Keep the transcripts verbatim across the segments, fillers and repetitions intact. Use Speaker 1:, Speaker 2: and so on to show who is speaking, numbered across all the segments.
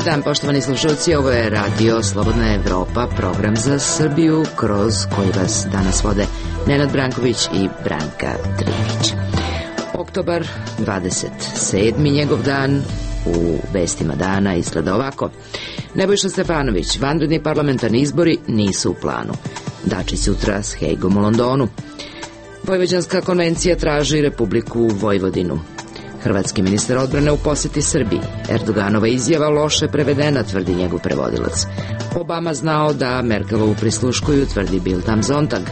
Speaker 1: Dobar dan, poštovani slušalci, ovo je Radio Slobodna Evropa, program za Srbiju, kroz koji vas danas vode Nenad Branković i Branka Trivić. Oktobar dvadeset sedmi njegov dan, u vestima dana izgleda ovako. Nebojša Stefanović, vanredni parlamentarni izbori nisu u planu. Dačić sutra s Hejgom u Londonu. Vojvođanska konvencija traži Republiku Vojvodinu. Hrvatski ministar odbrane u poseti Srbiji. Erdoganova izjava loše prevedena, tvrdi njegov prevodilac. Obama znao da Merkelovu prisluškuju, tvrdi Bild am Sonntag.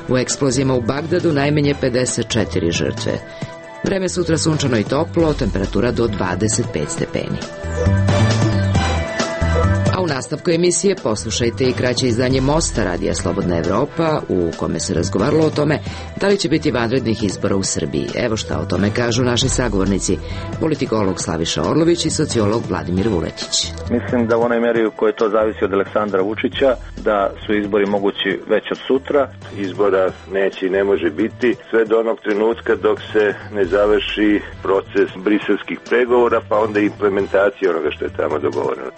Speaker 1: U eksplozijama u Bagdadu najmanje pedeset četiri žrtve. Vreme sutra sunčano i toplo, temperatura do dvadeset pet stepeni. A u nastavku emisije poslušajte i kraće izdanje Mosta Radija Slobodna Evropa, u kome se razgovaralo o tome da li će biti vanrednih izbora u Srbiji. Evo šta o tome kažu naši sagovornici, politikolog Slaviša Orlović i sociolog Vladimir Vuletić.
Speaker 2: Mislim da u onoj meri u kojoj to zavisi od Aleksandra Vučića, da su izbori mogući već od sutra.
Speaker 3: Izbora neće i ne može biti sve do onog trenutka dok se ne završi proces briselskih pregovora, pa onda implementacija onoga što je tamo dogovoreno.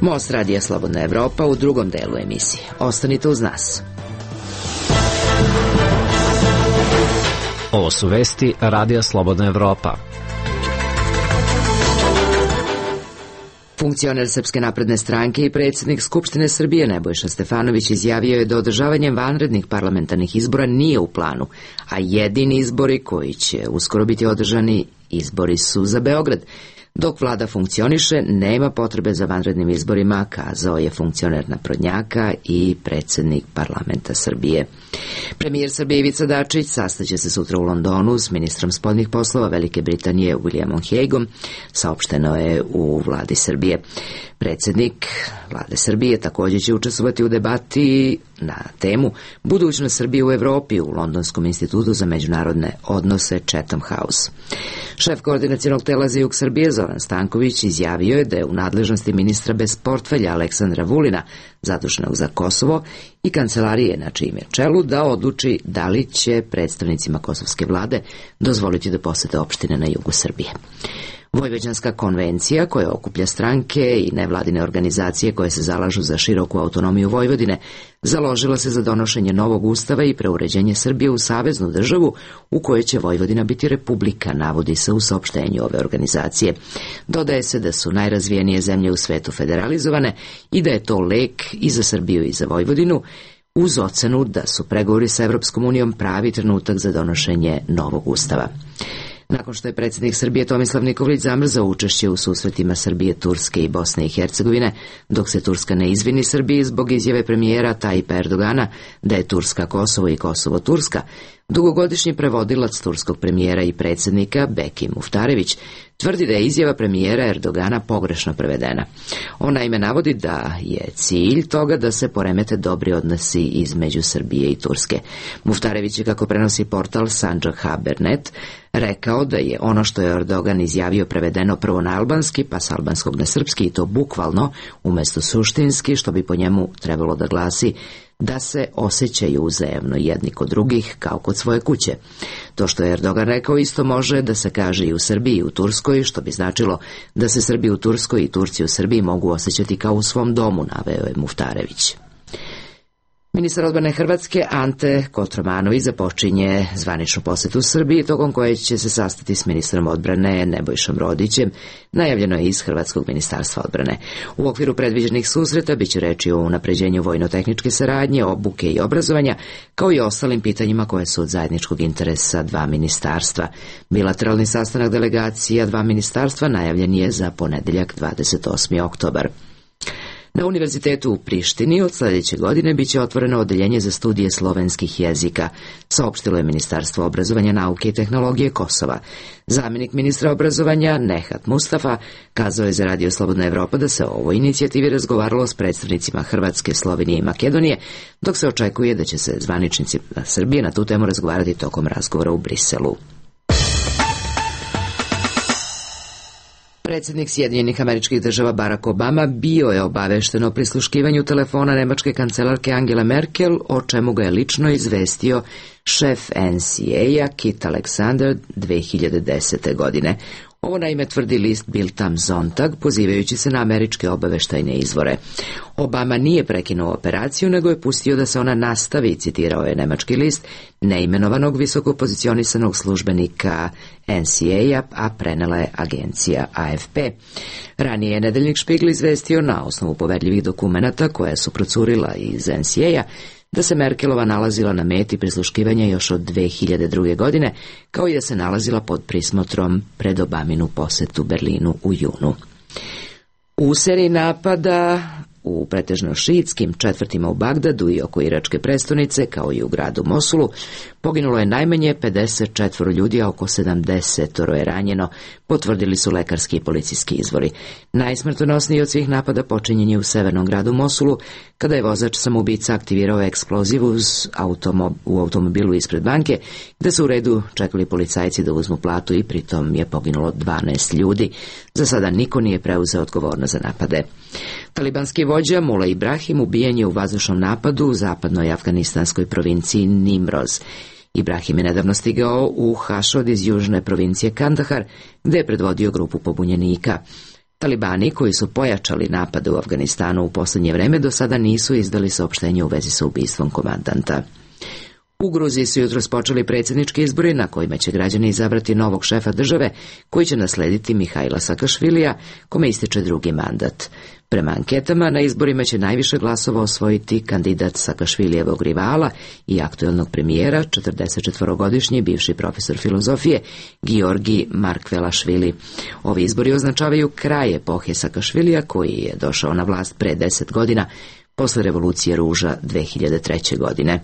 Speaker 1: Most Radija Slobodna Evropa u drugom delu emisije. Ostanite uz nas.
Speaker 4: Ovo su vesti Radija Slobodna Evropa.
Speaker 1: Funkcioner Srpske napredne stranke i predsjednik Skupštine Srbije Nebojša Stefanović izjavio je da održavanje vanrednih parlamentarnih izbora nije u planu, a jedini izbori koji će uskoro biti održani izbori su za Beograd. Dok vlada funkcioniše, nema potrebe za vanrednim izborima, kazao je funkcioner naprednjaka i predsjednik parlamenta Srbije. Premijer Srbije Ivica Dačić sastaće se sutra u Londonu s ministrom spoljnih poslova Velike Britanije Williamom Hagueom, saopšteno je u vladi Srbije. Predsjednik vlade Srbije također će učestvovati u debati na temu budućnost Srbije u Evropi u Londonskom institutu za međunarodne odnose Chatham House. Šef koordinacionog tela za jug Srbije Zoran Stanković izjavio je da je u nadležnosti ministra bez portfelja Aleksandra Vulina, zaduženog za Kosovo, i kancelarije na čijem je čelu, da odluči da li će predstavnicima kosovske vlade dozvoliti da posete opštine na jugu Srbije. Vojvođanska konvencija, koja okuplja stranke i nevladine organizacije koje se zalažu za široku autonomiju Vojvodine, založila se za donošenje novog ustava i preuređenje Srbije u saveznu državu u kojoj će Vojvodina biti republika, navodi se u saopštenju ove organizacije. Dodaje se da su najrazvijenije zemlje u svetu federalizovane i da je to lek i za Srbiju i za Vojvodinu, uz ocenu da su pregovori sa Evropskom unijom pravi trenutak za donošenje novog ustava. Nakon što je predsjednik Srbije Tomislav Nikolić zamrzao učešće u susretima Srbije, Turske i Bosne i Hercegovine, dok se Turska ne izvini Srbiji zbog izjave premijera Tajipa Erdogana da je Turska Kosovo i Kosovo Turska, dugogodišnji prevodilac turskog premijera i predsjednika Beki Muftarević tvrdi da je izjava premijera Erdogana pogrešno prevedena. On naime navodi da je cilj toga da se poremete dobri odnosi između Srbije i Turske. Muftarević je, kako prenosi portal Sandžak Haber punto net, rekao da je ono što je Erdogan izjavio prevedeno prvo na albanski, pa s albanskog na srpski, i to bukvalno umjesto suštinski, što bi po njemu trebalo da glasi da se osjećaju uzajemno jedni kod drugih kao kod svoje kuće. To što je Erdogan rekao isto može da se kaže i u Srbiji i u Turskoj, što bi značilo da se Srbi u Turskoj i Turci u Srbiji mogu osjećati kao u svom domu, naveo je Muftarević. Ministar odbrane Hrvatske Ante Kotromanović započinje zvaničnu posetu Srbiji, tokom koje će se sastati s ministrom odbrane Nebojšom Rodićem, najavljeno je iz Hrvatskog ministarstva odbrane. U okviru predviđenih susreta biće reči o unapređenju vojno-tehničke saradnje, obuke i obrazovanja, kao i ostalim pitanjima koje su od zajedničkog interesa dva ministarstva. Bilateralni sastanak delegacija dva ministarstva najavljen je za ponedeljak dvadeset osmi oktobar. Na Univerzitetu u Prištini od sljedeće godine biće otvoreno odeljenje za studije slovenskih jezika, saopštilo je Ministarstvo obrazovanja, nauke i tehnologije Kosova. Zamjenik ministra obrazovanja Nehat Mustafa kazao je za Radio Slobodna Evropa da se o ovoj inicijativi razgovaralo s predstavnicima Hrvatske, Slovenije i Makedonije, dok se očekuje da će se zvaničnici Srbije na tu temu razgovarati tokom razgovora u Briselu. Predsjednik Sjedinjenih Američkih Država Barack Obama bio je obavešten o prisluškivanju telefona nemačke kancelarke Angele Merkel, o čemu ga je lično izvestio šef N C A-a Kit Alexander dve hiljade desete. godine. Ovo naime tvrdi list Bild am Sonntag, pozivajući se na američke obaveštajne izvore. Obama nije prekinuo operaciju, nego je pustio da se ona nastavi, citirao je nemački list, neimenovanog visoko pozicionisanog službenika N C A-a, a prenela je agencija A F P. Ranije je nedeljnik Špigl izvestio na osnovu poverljivih dokumenata koja su procurila iz N C A-a da se Merkelova nalazila na meti prisluškivanja još od dve hiljade druge. godine, kao i da se nalazila pod prismotrom pred Obaminu posetu Berlinu u junu. U seriji napada u pretežno šiitskim četvrtima u Bagdadu i oko iračke prestonice, kao i u gradu Mosulu, poginulo je najmanje pedeset četiri ljudi, a oko sedamdeset je ranjeno, potvrdili su lekarski i policijski izvori. Najsmrtonosniji od svih napada počinjen je u severnom gradu Mosulu, kada je vozač samoubica aktivirao eksploziv uz automob- u automobilu ispred banke, gde su u redu čekali policajci da uzmu platu i pritom je poginulo dvanaest ljudi. Za sada niko nije preuzeo odgovornost za napade. Talibanski vođa Mullah Ibrahim ubijen je u vazdušnom napadu u zapadnoj afganistanskoj provinciji Nimroz. Ibrahim je nedavno stigao u Hašod iz južne provincije Kandahar, gde je predvodio grupu pobunjenika. Talibani, koji su pojačali napade u Afganistanu u posljednje vreme, do sada nisu izdali saopštenje u vezi sa ubistvom komandanta. U Gruziji su jutros počeli predsjednički izbori na kojima će građani izabrati novog šefa države koji će naslediti Mihajla Sakašvilija, kome ističe drugi mandat. Prema anketama, na izborima će najviše glasova osvojiti kandidat Sakašvilijevog rivala i aktuelnog premijera, četrdesetčetvorogodišnji bivši profesor filozofije, Giorgi Markvelašvili. Ovi izbori označavaju kraj epohe Sakašvilija, koji je došao na vlast pre deset godina, posle revolucije ruža dve hiljade treće. godine.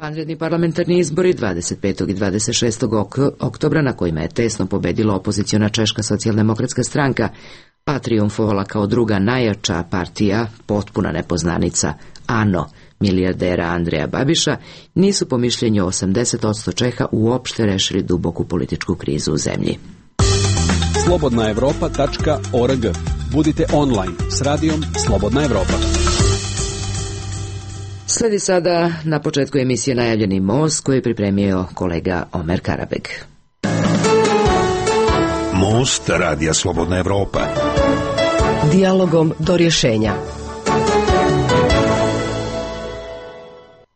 Speaker 1: Vanredni parlamentarni izbori dvadeset petog i dvadeset šestog oktobra, na kojima je tesno pobedila opoziciona Češka socijaldemokratska stranka, a trijumfovala kao druga najjača partija, potpuna nepoznanica, ANO, milijardera Andreja Babiša, nisu po mišljenju osamdeset posto Čeha uopšte rešili duboku političku krizu u zemlji.
Speaker 5: slobodna evropa tačka org. Budite online s radijom Slobodna Evropa.
Speaker 1: Sledi sada na početku emisije najavljeni most koji je pripremio kolega Omer Karabeg.
Speaker 6: Most radija Slobodna Evropa.
Speaker 7: Dijalogom do rješenja.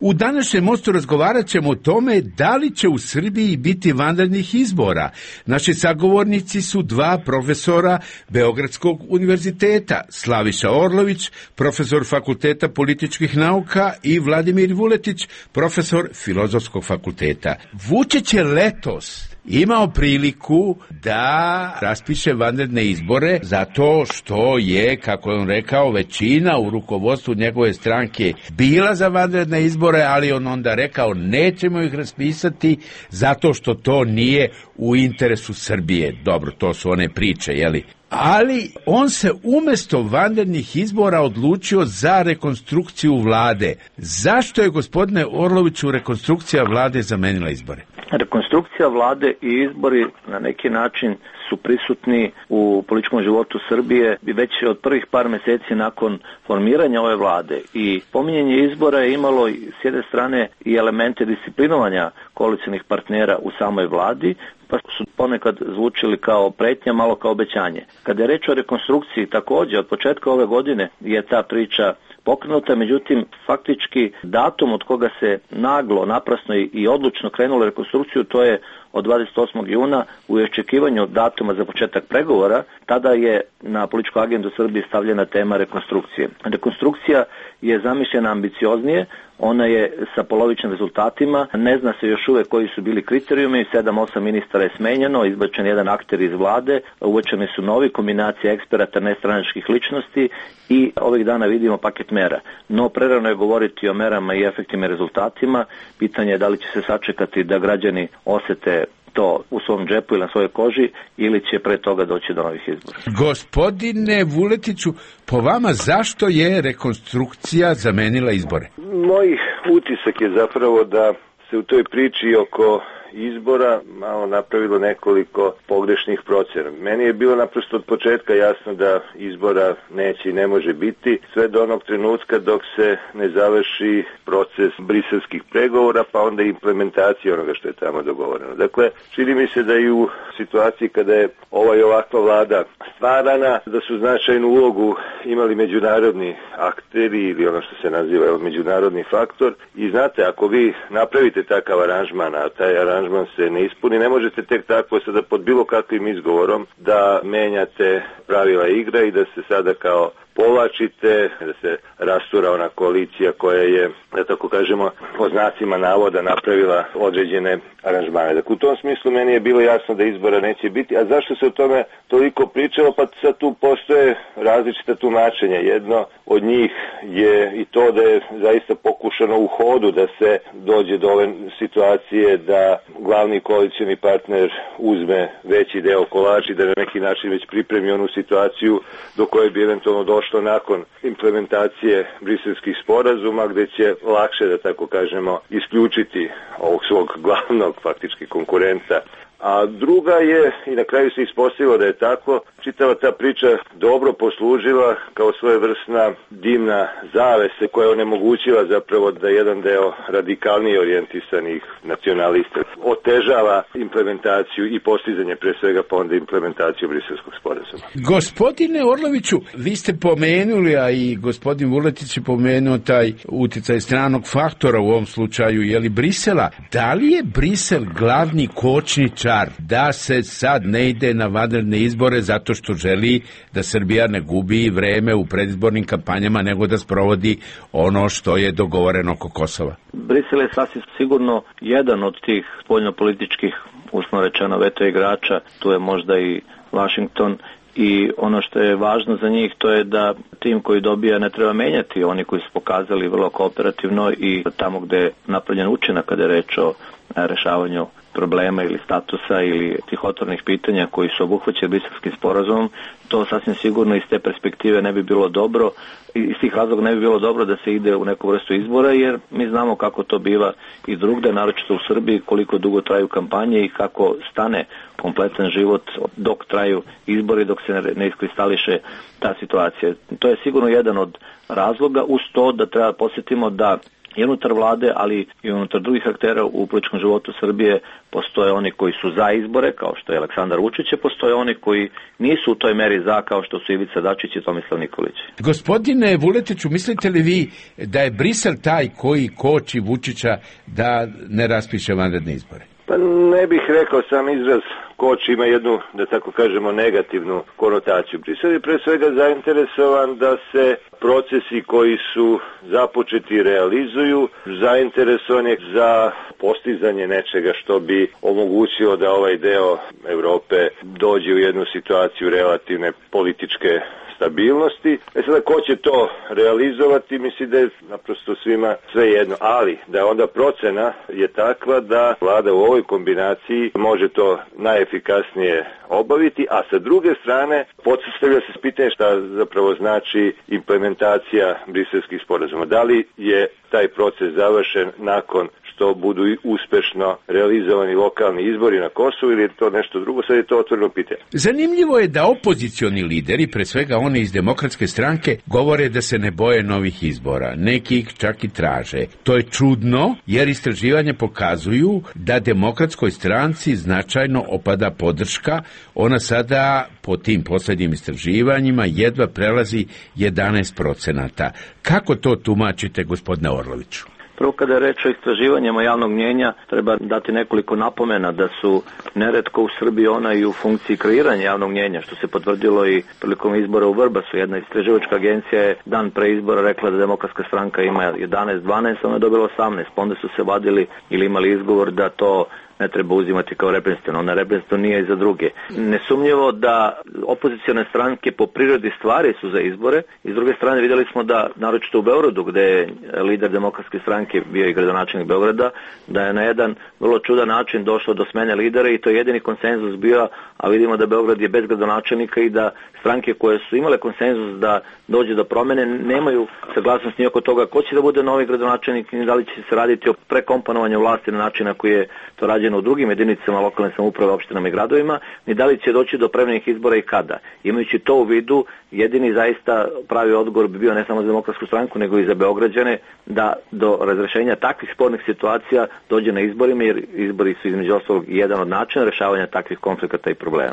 Speaker 8: U današnjem mostu razgovarat ćemo o tome da li će u Srbiji biti vanrednih izbora. Naši sagovornici su dva profesora Beogradskog univerziteta, Slaviša Orlović, profesor Fakulteta političkih nauka, i Vladimir Vuletić, profesor Filozofskog fakulteta. Vučić je letos imao priliku da raspiše vanredne izbore zato što je, kako je on rekao, većina u rukovodstvu njegove stranke bila za vanredne izbore, ali on onda rekao nećemo ih raspisati zato što to nije u interesu Srbije. Dobro, to su one priče, jeli? Ali on se umjesto vanrednih izbora odlučio za rekonstrukciju vlade. Zašto je, gospodine Orloviću, rekonstrukcija vlade zamenila izbore?
Speaker 2: Rekonstrukcija vlade i izbori na neki način su prisutni u političkom životu Srbije već od prvih par mjeseci nakon formiranja ove vlade, i pominjanje izbora je imalo s jedne strane i elemente disciplinovanja koalicionih partnera u samoj vladi, pa su ponekad zvučili kao pretnja, malo kao obećanje. Kada je reč o rekonstrukciji, također od početka ove godine je ta priča pokrenuta, međutim faktički datum od koga se naglo, naprasno i odlučno krenulo rekonstrukciju, to je od dvadeset osmog juna u očekivanju datuma za početak pregovora. Tada je na političku agendu Srbije stavljena tema rekonstrukcije. Rekonstrukcija je zamišljena ambicioznije, ona je sa polovičnim rezultatima, ne zna se još uvek koji su bili kriterijumi, sedam osam ministara je smenjeno, izbačen jedan akter iz vlade, uvećani su novi, kombinacija eksperata nestranačkih ličnosti, i ovih dana vidimo paket mera. No prerano je govoriti o merama i efektima i rezultatima, pitanje je da li će se sačekati da građani osete to u svom džepu ili na svojoj koži, ili će pre toga doći do novih izbora.
Speaker 8: Gospodine Vuletiću, po vama zašto je rekonstrukcija zamenila izbore?
Speaker 3: Moj utisak je zapravo da se u toj priči oko izbora malo napravilo nekoliko pogrešnih procena. Meni je bilo naprosto od početka jasno da izbora neće i ne može biti sve do onog trenutka dok se ne završi proces briselskih pregovora, pa onda implementacija onoga što je tamo dogovoreno. Dakle, čini mi se da i u situaciji kada je ova i ovakva vlada stvarana, da su značajnu ulogu imali međunarodni akteri ili ono što se naziva međunarodni faktor. I znate, ako vi napravite takav aranžman, a taj aranžman se ne ispuni, ne možete tek tako sada pod bilo kakvim izgovorom da menjate pravila igre i da se sada kao povlačite, da se rastura ona koalicija koja je, da tako kažemo, po znacima navoda napravila određene aranžmane. Dakle, u tom smislu meni je bilo jasno da izbora neće biti. A zašto se o tome toliko pričalo? Pa sad tu postoje različita tumačenja. Jedno od njih je i to da je zaista pokušano u hodu da se dođe do ove situacije da glavni koalicioni partner uzme veći deo kolača i da na neki način već pripremi onu situaciju do koje bi eventualno došlo nakon implementacije briselskih sporazuma, gde će lakše, da tako kažemo, isključiti ovog svog glavnog faktički konkurenta. A druga je, i na kraju se ispostavilo da je tako, čitava ta priča dobro poslužila kao svojevrsna dimna zavese koja je onemogućila zapravo da jedan deo radikalnije orijentisanih nacionalista otežava implementaciju i postizanje pre svega pa onda implementaciju briselskog sporazuma.
Speaker 8: Gospodine Orloviću, vi ste pomenuli, a i gospodin Vuletić je pomenuo taj uticaj stranog faktora u ovom slučaju, je li Brisela? Da li je Brisel glavni kočničar da se sad ne ide na vanredne izbore zato što želi da Srbija ne gubi vreme u predizbornim kampanjama nego da sprovodi ono što je dogovoreno oko Kosova?
Speaker 2: Brisel je sasvim sigurno jedan od tih spoljnopolitičkih, uslovno rečeno, veto igrača. Tu je možda i Washington. I ono što je važno za njih to je da tim koji dobija ne treba menjati, oni koji su pokazali vrlo kooperativno i tamo gde je napravljen učinak kada je reč o rešavanju problema ili statusa ili tih otvornih pitanja koji su obuhvaćeni Briselskim sporazumom, to sasvim sigurno iz te perspektive ne bi bilo dobro, iz tih razloga ne bi bilo dobro da se ide u neku vrstu izbora, jer mi znamo kako to biva i drugde, naročito u Srbiji, koliko dugo traju kampanje i kako stane kompletan život dok traju izbori, dok se ne iskristališe ta situacija. To je sigurno jedan od razloga, uz to da treba posjetimo da i unutar vlade, ali i unutar drugih aktera u političkom životu Srbije postoje oni koji su za izbore, kao što je Aleksandar Vučić, a postoje oni koji nisu u toj meri za, kao što su Ivica Dačić i Tomislav Nikolić.
Speaker 8: Gospodine Vuletiću, mislite li vi da je Brisel taj koji koči Vučića da ne raspiše vanredne izbore?
Speaker 3: Pa ne bih rekao, sam izraz koč ima jednu, da tako kažemo, negativnu konotaciju. Brisel je pre svega zainteresovan da se procesi koji su započeti realizuju, zainteresovan je za postizanje nečega što bi omogućilo da ovaj deo Evrope dođe u jednu situaciju relativne političke stabilnosti. E sada, ko će to realizovati, misli da je naprosto svima sve jedno, ali da je onda procena je takva da vlada u ovoj kombinaciji može to najefikasnije obaviti, a sa druge strane postavlja se pitanje šta zapravo znači implementacija briselskih sporazuma. Da li je taj proces završen nakon što budu uspešno realizovani lokalni izbori na Kosovu ili je to nešto drugo, sad je to otvoreno pitanje.
Speaker 8: Zanimljivo je da opozicioni lideri, pre svega oni iz Demokratske stranke, govore da se ne boje novih izbora. Neki ih čak i traže. To je čudno, jer istraživanja pokazuju da Demokratskoj stranci značajno opada podrška. Ona sada, po tim poslednjim istraživanjima, jedva prelazi jedanaest procenata. Kako to tumačite, gospodine Orloviću?
Speaker 2: Prvo, kada je reč o istraživanjima javnog mnjenja, treba dati nekoliko napomena da su neretko u Srbiji ona i u funkciji kreiranja javnog mnjenja, što se potvrdilo i prilikom izbora u Vrbasu. Jedna istraživačka agencija je dan pre izbora rekla da Demokratska stranka ima jedanaest dvanaest, ona je dobila osamnaest, pa onda su se vadili ili imali izgovor da to ne treba uzimati kao reprezentativno. Ona reprezentativno nije i za druge. Nesumnjivo da opozicione stranke po prirodi stvari su za izbore i s druge strane vidjeli smo da, naročito u Beogradu, gde je lider Demokratske stranke bio i gradonačelnik Beograda, da je na jedan vrlo čudan način došlo do smene lidera i to je jedini konsenzus bio, a vidimo da Beograd je bez gradonačelnika i da stranke koje su imale konsenzus da dođe do promene nemaju saglasnost ni oko toga ko će da bude novi gradonačelnik i da li će se raditi o prekomponovanju vlasti na način na koji je to radio urađeno u drugim jedinicama lokalne samouprave, opštinama i gradovima, ni da li će doći do prevremenih izbora i kada. Imajući to u vidu, jedini zaista pravi odgovor bi bio ne samo za Demokratsku stranku, nego i za Beograđane, da do razrešenja takvih spornih situacija dođe na izborima, jer izbori su između ostalog jedan od načina rešavanja takvih konflikata i problema.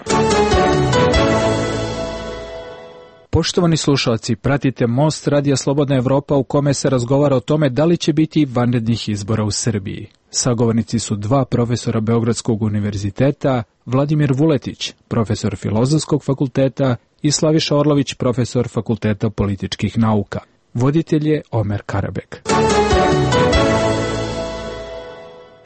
Speaker 9: Poštovani slušalci, pratite Most Radija Slobodna Evropa u kome se razgovara o tome da li će biti vanrednih izbora u Srbiji. Sagovornici su dva profesora Beogradskog univerziteta, Vladimir Vuletić, profesor Filozofskog fakulteta i Slaviša Orlović, profesor Fakulteta političkih nauka. Voditelj je Omer Karabek.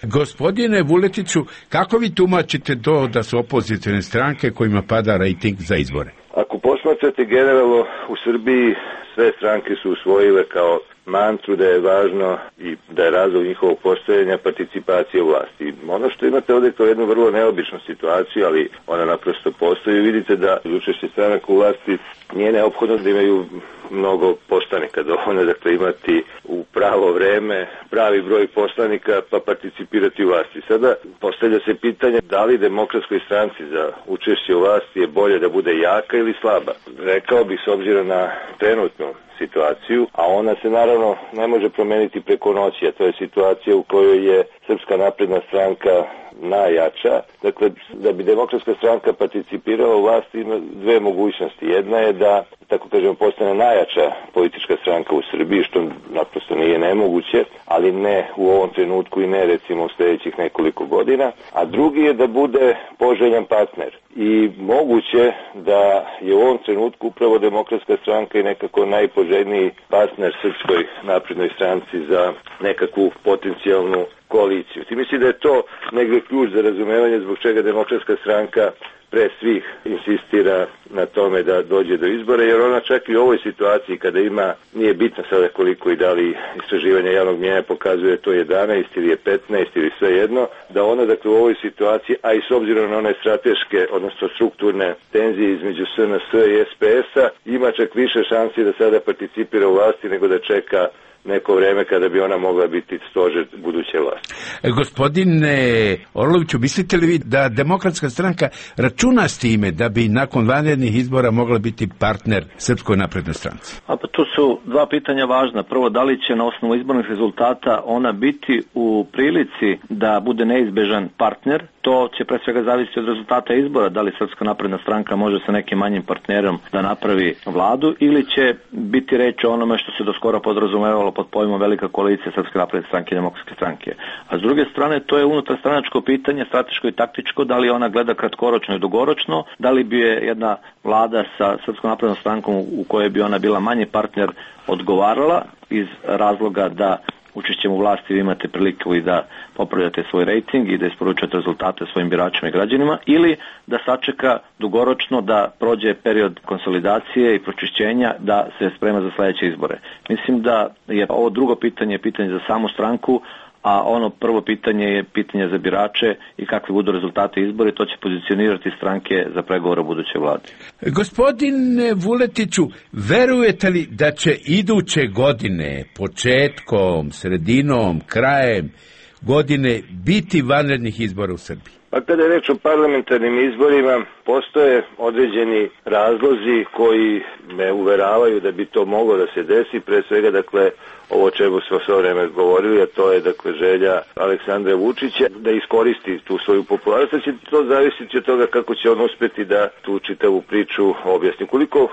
Speaker 8: Gospodine Vuletiću, kako vi tumačite to da su opozicione stranke kojima pada rejting za izbore?
Speaker 3: Ako posmatrate generalno, u Srbiji sve stranke su usvojile kao mantru da je važno i da je razlog njihovog postojanja participacije u vlasti. Ono što imate ovdje kao jednu vrlo neobičnu situaciju, ali ona naprosto postoji. Vidite da učešće stranaka u vlasti nije neophodno da imaju mnogo poslanika, dovoljno dakle imati u pravo vreme pravi broj poslanika pa participirati u vlasti. Sada postavlja se pitanje da li Demokratskoj stranci za učešće u vlasti je bolje da bude jaka ili slaba. Rekao bih s obzirom na trenutnu situaciju, a ona se naravno ne može promeniti preko noći, a to je situacija u kojoj je Srpska napredna stranka najjača. Dakle, da bi Demokratska stranka participirala u vlasti ima dve mogućnosti. Jedna je da, tako kažemo, postane najjača politička stranka u Srbiji, što naprosto nije nemoguće, ali ne u ovom trenutku i ne recimo u sljedećih nekoliko godina. A drugi je da bude poželjan partner. I moguće da je u ovom trenutku upravo Demokratska stranka i nekako najpoželjniji partner Srpskoj naprednoj stranci za nekakvu potencijalnu koaliciju. Ti misli da je to negdje ključ za razumevanje zbog čega Demokratska stranka pre svih insistira na tome da dođe do izbora, jer ona čak i u ovoj situaciji kada ima, nije bitno sada koliko i da li istraživanja javnog mnijenja pokazuje to jedanaest ili je petnaest ili sve jedno, da ona dakle u ovoj situaciji, a i s obzirom na one strateške, odnosno strukturne tenzije između S N S i S P S-a, ima čak više šansi da sada participira u vlasti nego da čeka neko vreme kada bi ona mogla biti stožer buduće vlasti.
Speaker 8: Gospodine Orloviću, mislite li vi da Demokratska stranka računa s time da bi nakon vanrednih izbora mogla biti partner Srpskoj naprednoj stranci?
Speaker 2: A pa tu su dva pitanja važna. Prvo, da li će na osnovu izbornih rezultata ona biti u prilici da bude neizbežan partner? To će pre svega zavisiti od rezultata izbora, da li Srpska napredna stranka može sa nekim manjim partnerom da napravi vladu ili će biti reč o onome što se do skoro podrazumevalo pod pojmom velika koalicija Srpske napredne stranke i Demokratske stranke. A s druge strane, to je unutarstranačko pitanje, strateško i taktičko, da li ona gleda kratkoročno i dugoročno, da li bi je jedna vlada sa Srpskom naprednom strankom u kojoj bi ona bila manji partner odgovarala iz razloga da učešćem u vlasti vi imate priliku i da popravljate svoj rejting i da isporučujete rezultate svojim biračima i građanima, ili da sačeka dugoročno da prođe period konsolidacije i pročišćenja da se sprema za sledeće izbore. Mislim da je ovo drugo pitanje pitanje za samu stranku, a ono prvo pitanje je pitanje za birače i kakvi budu rezultate izbora, to će pozicionirati stranke za pregovore o budućoj vladi.
Speaker 8: Gospodine Vuletiću, verujete li da će iduće godine, početkom, sredinom, krajem godine biti vanrednih izbora u Srbiji?
Speaker 3: Pa kada je reč o parlamentarnim izborima, postoje određeni razlozi koji me uveravaju da bi to moglo da se desi, pre svega dakle ovo čemu smo sve vreme govorili, a to je dakle želja Aleksandra Vučića da iskoristi tu svoju popularnost, će to zavisiti od toga kako će on uspeti da tu čitavu priču objasni. Koliko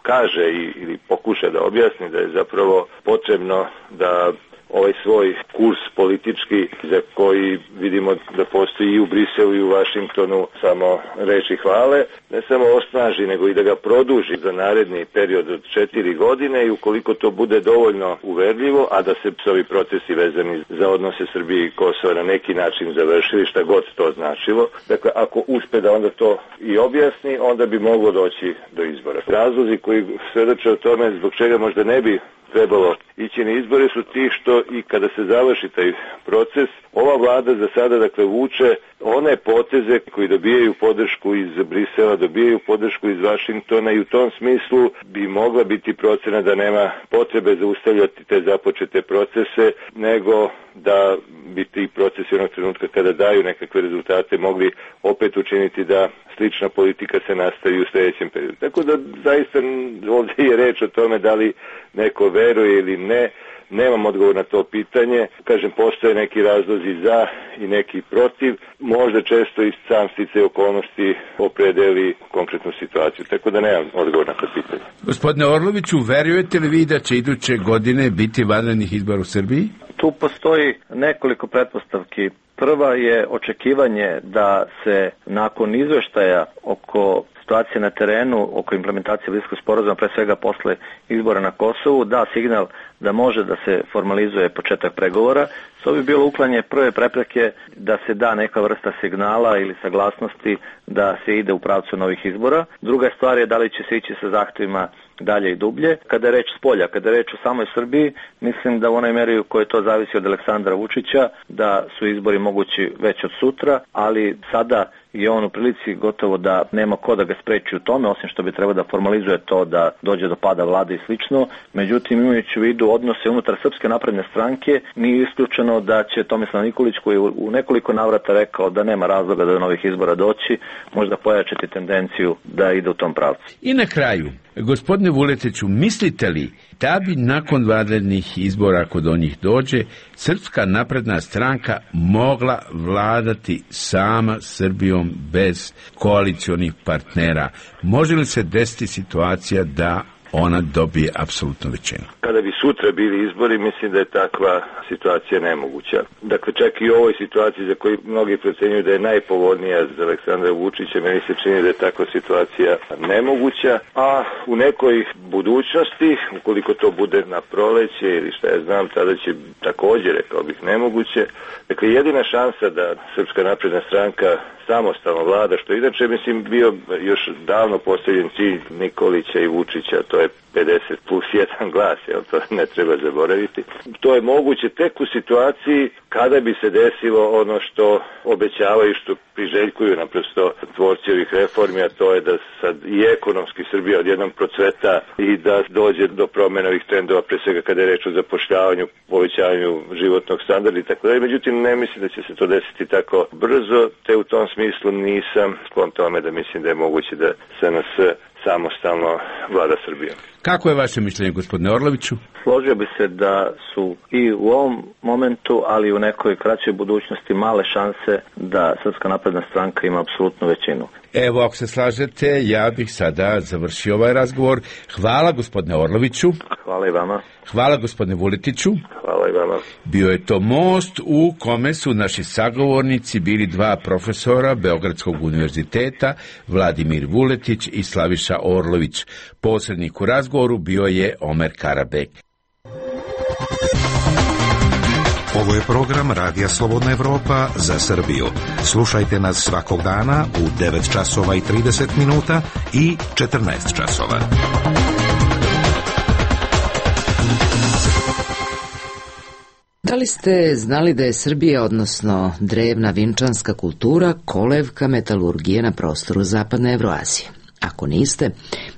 Speaker 3: kaže ili pokuša da objasni da je zapravo potrebno da ovaj svoj kurs politički za koji vidimo da postoji i u Briselu i u Vašingtonu samo reči hvale, ne samo osnaži nego i da ga produži za naredni period od četiri godine i ukoliko to bude dovoljno uverljivo, a da se ovi procesi vezani za odnose Srbije i Kosova na neki način završili, šta god to značilo. Dakle, ako uspe da onda to i objasni, onda bi moglo doći do izbora. Razlozi koji svedoče o tome zbog čega možda ne bi trebalo ići na izbore su ti što i kada se završi taj proces, ova vlada za sada dakle vuče one poteze koji dobijaju podršku iz Brisela, dobijaju podršku iz Vašingtona i u tom smislu bi mogla biti procena da nema potrebe zaustavljati te započete procese, nego da bi ti procesi onog trenutka kada daju nekakve rezultate mogli opet učiniti da slična politika se nastavi u sljedećem periodu. Tako da zaista ovdje je reč o tome da li neko veruje ili ne. Nemam odgovor na to pitanje. Kažem, postoje neki razlozi za i neki protiv. Možda često i sam sticaj okolnosti opredeli konkretnu situaciju. Tako da nemam odgovor na to pitanje.
Speaker 8: Gospodine Orloviću, verujete li vi da će iduće godine biti vanrednih izbora u Srbiji?
Speaker 2: Tu postoji nekoliko pretpostavki. Prva je očekivanje da se nakon izveštaja oko situacije na terenu, oko implementacije Briselskog sporazuma, pre svega posle izbora na Kosovu, da signal da može da se formalizuje početak pregovora. To bi bilo uklanje prve prepreke da se da neka vrsta signala ili saglasnosti da se ide u pravcu novih izbora. Druga stvar je da li će se ići sa zahtevima dalje i dublje. Kada je reč spolja, kada je reč o samoj Srbiji, mislim da u onoj meri u kojoj to zavisi od Aleksandra Vučića, da su izbori mogući već od sutra, ali sada je on u prilici gotovo da nema ko da ga spreči u tome, osim što bi trebao da formalizuje to da dođe do pada vlade i slično. Međutim, imajući u vidu odnose unutar Srpske napredne stranke, nije isključeno da će Tomislav Nikolić, koji je u nekoliko navrata rekao da nema razloga da do novih izbora doći, možda pojačati tendenciju da ide u tom pravcu.
Speaker 8: I na kraju, gospodine Vuletiću, mislite li da bi nakon vanrednih izbora, ako do njih dođe, Srpska napredna stranka mogla vladati sama Srbijom bez koalicionih partnera? Može li se desiti situacija da ona dobije apsolutnu većinu?
Speaker 3: Kada bi sutra bili izbori, mislim da je takva situacija nemoguća. Dakle, čak i u ovoj situaciji za koju mnogi procenjuju da je najpovoljnija za Aleksandra Vučića, meni se čini da je takva situacija nemoguća, a u nekoj budućnosti, ukoliko to bude na proleće ili šta ja znam, tada će također, rekao bih, nemoguće. Dakle, jedina šansa da Srpska napredna stranka samostalno vlada, što inače, mislim, bio još davno postavljen cilj Nikolića i Vučića, to je pedeset plus jedan glas, jel, to ne treba zaboraviti. To je moguće tek u situaciji kada bi se desilo ono što obećavaju, što priželjkuju naprosto tvorci ovih reformi, a to je da sad i ekonomski Srbija odjednom procveta i da dođe do promjena ovih trendova, pre svega kada je reč o zapošljavanju, povećavanju životnog standarda i tako dalje. Međutim, ne mislim da će se to desiti tako brzo, te u tom smislu nisam sklon tome da mislim da je moguće da S N S samostalno vlada Srbijom.
Speaker 8: Kako je vaše mišljenje, gospodine Orloviću?
Speaker 2: Složio bi se da su i u ovom momentu, ali i u nekoj kraćoj budućnosti male šanse da Srpska napredna stranka ima apsolutnu većinu.
Speaker 8: Evo, ako se slažete, ja bih sada završio ovaj razgovor. Hvala, gospodine Orloviću.
Speaker 2: Hvala i vama.
Speaker 8: Hvala, gospodine Vuletiću.
Speaker 3: Hvala i vama.
Speaker 8: Bio je to most u kome su naši sagovornici bili dva profesora Beogradskog univerziteta, Vladimir Vuletić i Slaviša Orlović. Posrednik u razgovoru bio je Omer Karabek.
Speaker 6: Ovo je program Radija Slobodna Evropa za Srbiju. Slušajte nas svakog dana u devet časova i trideset minuta i četrnaest časova.
Speaker 1: Da li ste znali da je Srbija, odnosno drevna vinčanska kultura, kolevka metalurgije na prostoru Zapadne Evroazije? Ako niste,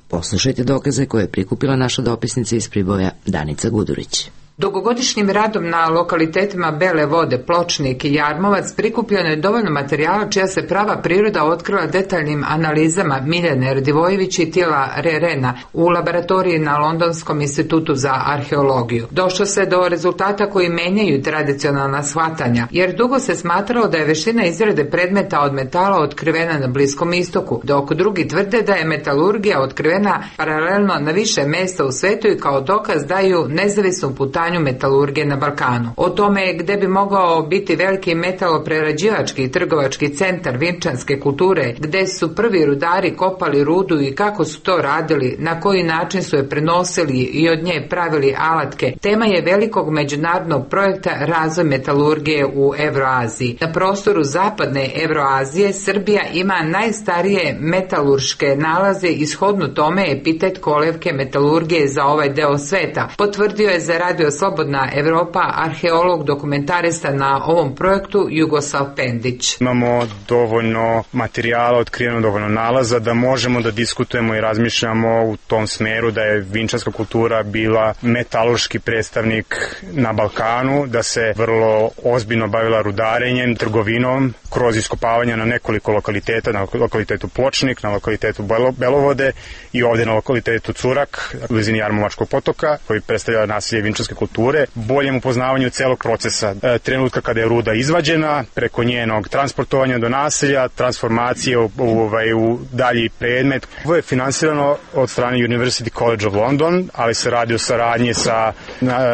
Speaker 1: poslušajte dokaze koje je prikupila naša dopisnica iz Priboja Danica Gudurić.
Speaker 10: Dugogodišnjim radom na lokalitetima Bele Vode, Pločnik i Jarmovac prikupljeno je dovoljno materijala čija se prava priroda otkrila detaljnim analizama Miljane Radivojević i Tila Rerena u laboratoriji na Londonskom institutu za arheologiju. Došlo se do rezultata koji menjaju tradicionalna shvatanja, jer dugo se smatralo da je veština izrade predmeta od metala otkrivena na Bliskom istoku, dok drugi tvrde da je metalurgija otkrivena paralelno na više mesta u svetu i kao dokaz daju nezavisnu putanju metalurgije na Balkanu. O tome gde bi mogao biti veliki metaloprerađivački i trgovački centar vinčanske kulture, gde su prvi rudari kopali rudu i kako su to radili, na koji način su je prenosili i od nje pravili alatke, tema je velikog međunarodnog projekta Razvoj metalurgije u Evroaziji. Na prostoru Zapadne Evroazije Srbija ima najstarije metalurške nalaze i shodno tome epitet kolevke metalurgije za ovaj deo sveta. Potvrdio je za Radio Radio Slobodna Evropa arheolog dokumentarista na ovom projektu Jugoslav Pendić.
Speaker 11: Imamo dovoljno materijala, otkriveno dovoljno nalaza da možemo da diskutujemo i razmišljamo u tom smeru da je vinčarska kultura bila metalurški predstavnik na Balkanu, da se vrlo ozbiljno bavila rudarenjem, trgovinom, kroz iskopavanja na nekoliko lokaliteta, na lokalitetu Pločnik, na lokalitetu Belovode i ovdje na lokalitetu Curak, u blizini Jarmovačkog potoka, koji predstavlja naselje vinčarske kulture, boljem upoznavanju celog procesa, e, trenutka kada je ruda izvađena, preko njenog transportovanja do naselja, transformacije u, u, ovaj, u dalji predmet. Ovo je finansirano od strane University College of London, ali se radi o saradnji sa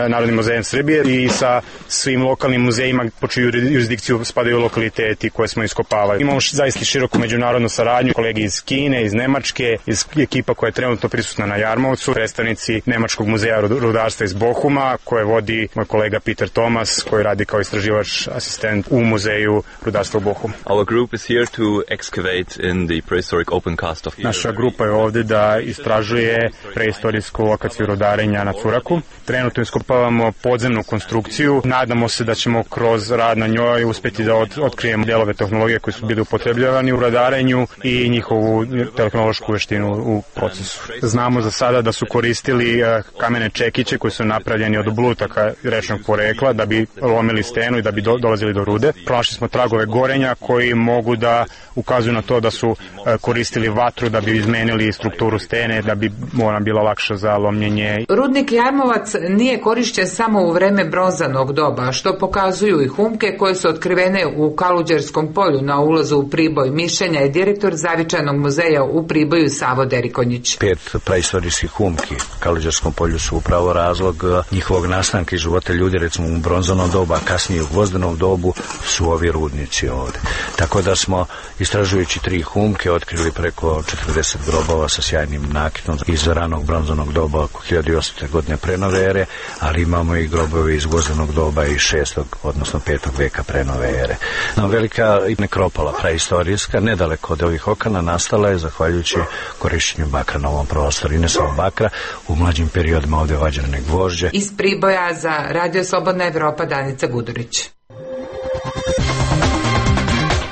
Speaker 11: Narodnim muzejem Srbije i sa svim lokalnim muzejima po čiju jurisdikciju spadaju lokaliteti koje smo iskopavali. Imamo zaista široku međunarodnu saradnju, kolegi iz Kine, iz Nemačke, iz ekipa koja je trenutno prisutna na Jarmovcu, predstavnici Nemačkog muzeja rudarstva iz Bohuma, koje vodi moj kolega Peter Thomas, koji radi kao istraživač asistent u muzeju rudarstva u Bohumu.
Speaker 12: Our group is here to excavate in the prehistoric open cast of...
Speaker 11: Naša grupa je ovdje da istražuje preistorijsku lokaciju rudarenja na Curaku. Trenutno iskopavamo podzemnu konstrukciju. Nadamo se da ćemo kroz rad na njoj uspjeti da od, otkrijemo delove tehnologije koji su bili upotrebljavani u rudarenju i njihovu tehnološku veštinu u procesu. Znamo za sada da su koristili kamene čekiće koji su napravljeni od oblutaka rečnog porekla da bi lomili stenu i da bi do, dolazili do rude. Pronašli smo tragove gorenja koji mogu da ukazuju na to da su koristili vatru da bi izmenili strukturu stene, da bi ona bila lakša za lomljenje.
Speaker 10: Rudnik Jarmovac nije korišćen samo u vreme bronzanog doba, što pokazuju i humke koje su otkrivene u Kaluđerskom polju na ulazu u Priboj. Mišljenja je direktor Zavičajnog muzeja u Priboju Savo Derikonjić.
Speaker 13: Pet praistorijskih humki u Kaluđerskom polju su upravo razlog njihovog nastanka i života ljudi, recimo u bronzanom dobu, a kasnije u gvozdenom dobu su ovi rudnici ovde. Tako da smo, istražujući tri humke, otkrili preko četrdeset grobova sa sjajnim nakitom iz ranog bronzanog doba oko hiljadu osamsto. godine pre nove ere, ali imamo i grobove iz gvozdenog doba iz šestog odnosno petog veka pre nove ere. No, velika nekropola praistorijska, nedaleko od ovih okana, nastala je zahvaljujući korišćenju bakra na ovom prostoru i ne samo bakra, u mlađim periodima ovdje vađene gvožđe.
Speaker 10: Iz Priboja za Radio Slobodna Evropa Danica Gudurić.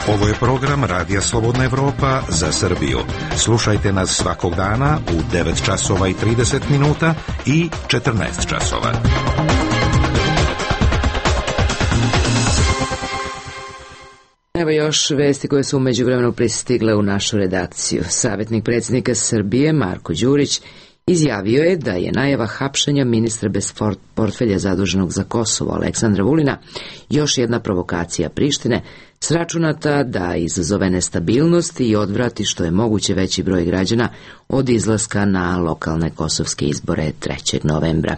Speaker 6: Ovo je program Radija Slobodna Evropa za Srbiju. Slušajte nas svakog dana u devet časova i trideset minuta i četrnaest časova.
Speaker 1: Evo još vesti koje su u međuvremenu pristigle u našu redakciju. Savjetnik predsjednika Srbije Marko Đurić izjavio je da je najava hapšenja ministra bez portfelja zaduženog za Kosovo Aleksandra Vulina još jedna provokacija Prištine, sračunata da izazove nestabilnost i odvrati što je moguće veći broj građana od izlaska na lokalne kosovske izbore trećeg novembra.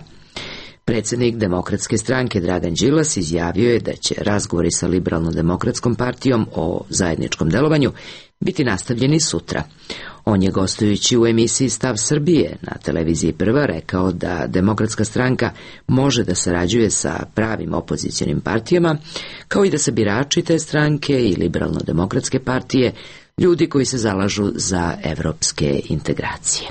Speaker 1: Predsjednik Demokratske stranke Dragan Đilas izjavio je da će razgovori sa Liberalno-demokratskom partijom o zajedničkom delovanju biti nastavljeni sutra. On je, gostujući u emisiji Stav Srbije na televiziji Prva, rekao da Demokratska stranka može da sarađuje sa pravim opozicionim partijama, kao i da se birači te stranke i Liberalno-demokratske partije ljudi koji se zalažu za evropske integracije.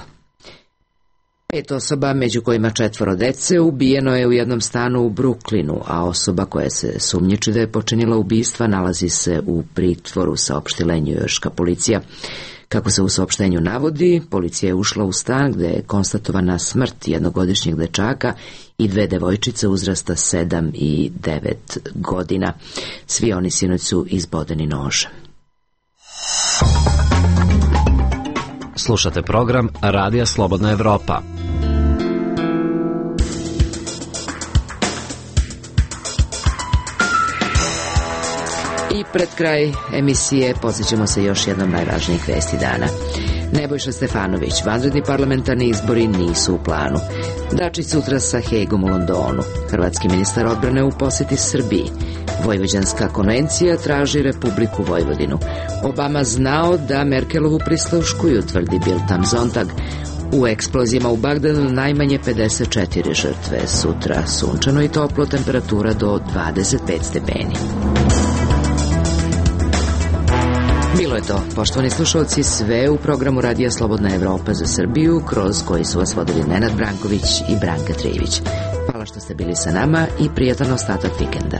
Speaker 1: Pet osoba, među kojima četvoro dece, ubijeno je u jednom stanu u Bruklinu, a osoba koja se sumnjiči da je počinila ubistva nalazi se u pritvoru, saopštila je njujorška policija. Kako se u saopštenju navodi, policija je ušla u stan gde je konstatovana smrt jednogodišnjeg dečaka i dve devojčice uzrasta sedam i devet godina. Svi oni sinoć su izbodeni nožem.
Speaker 4: Slušate program Radija Slobodna Evropa.
Speaker 1: I pred kraj emisije podsjećamo se još jednom najvažnijih vesti dana. Nebojša Stefanović, vanredni parlamentarni izbori nisu u planu. Dačić sutra sa Hegom u Londonu. Hrvatski ministar odbrane u posjeti Srbiji. Vojvođanska konvencija traži Republiku Vojvodinu. Obama znao da Merkelovu prisluškuju, tvrdi Bild am Sonntag. U eksplozijama u Bagdadu najmanje pedeset četiri žrtve. Sutra sunčano i toplo, temperatura do dvadeset pet stepeni. Bilo je to, poštovani slušalci, sve u programu Radija Slobodna Evropa za Srbiju, kroz koji su vas vodili Nenad Branković i Branka Trijević. Hvala što ste bili sa nama i prijatan ostatak vikenda.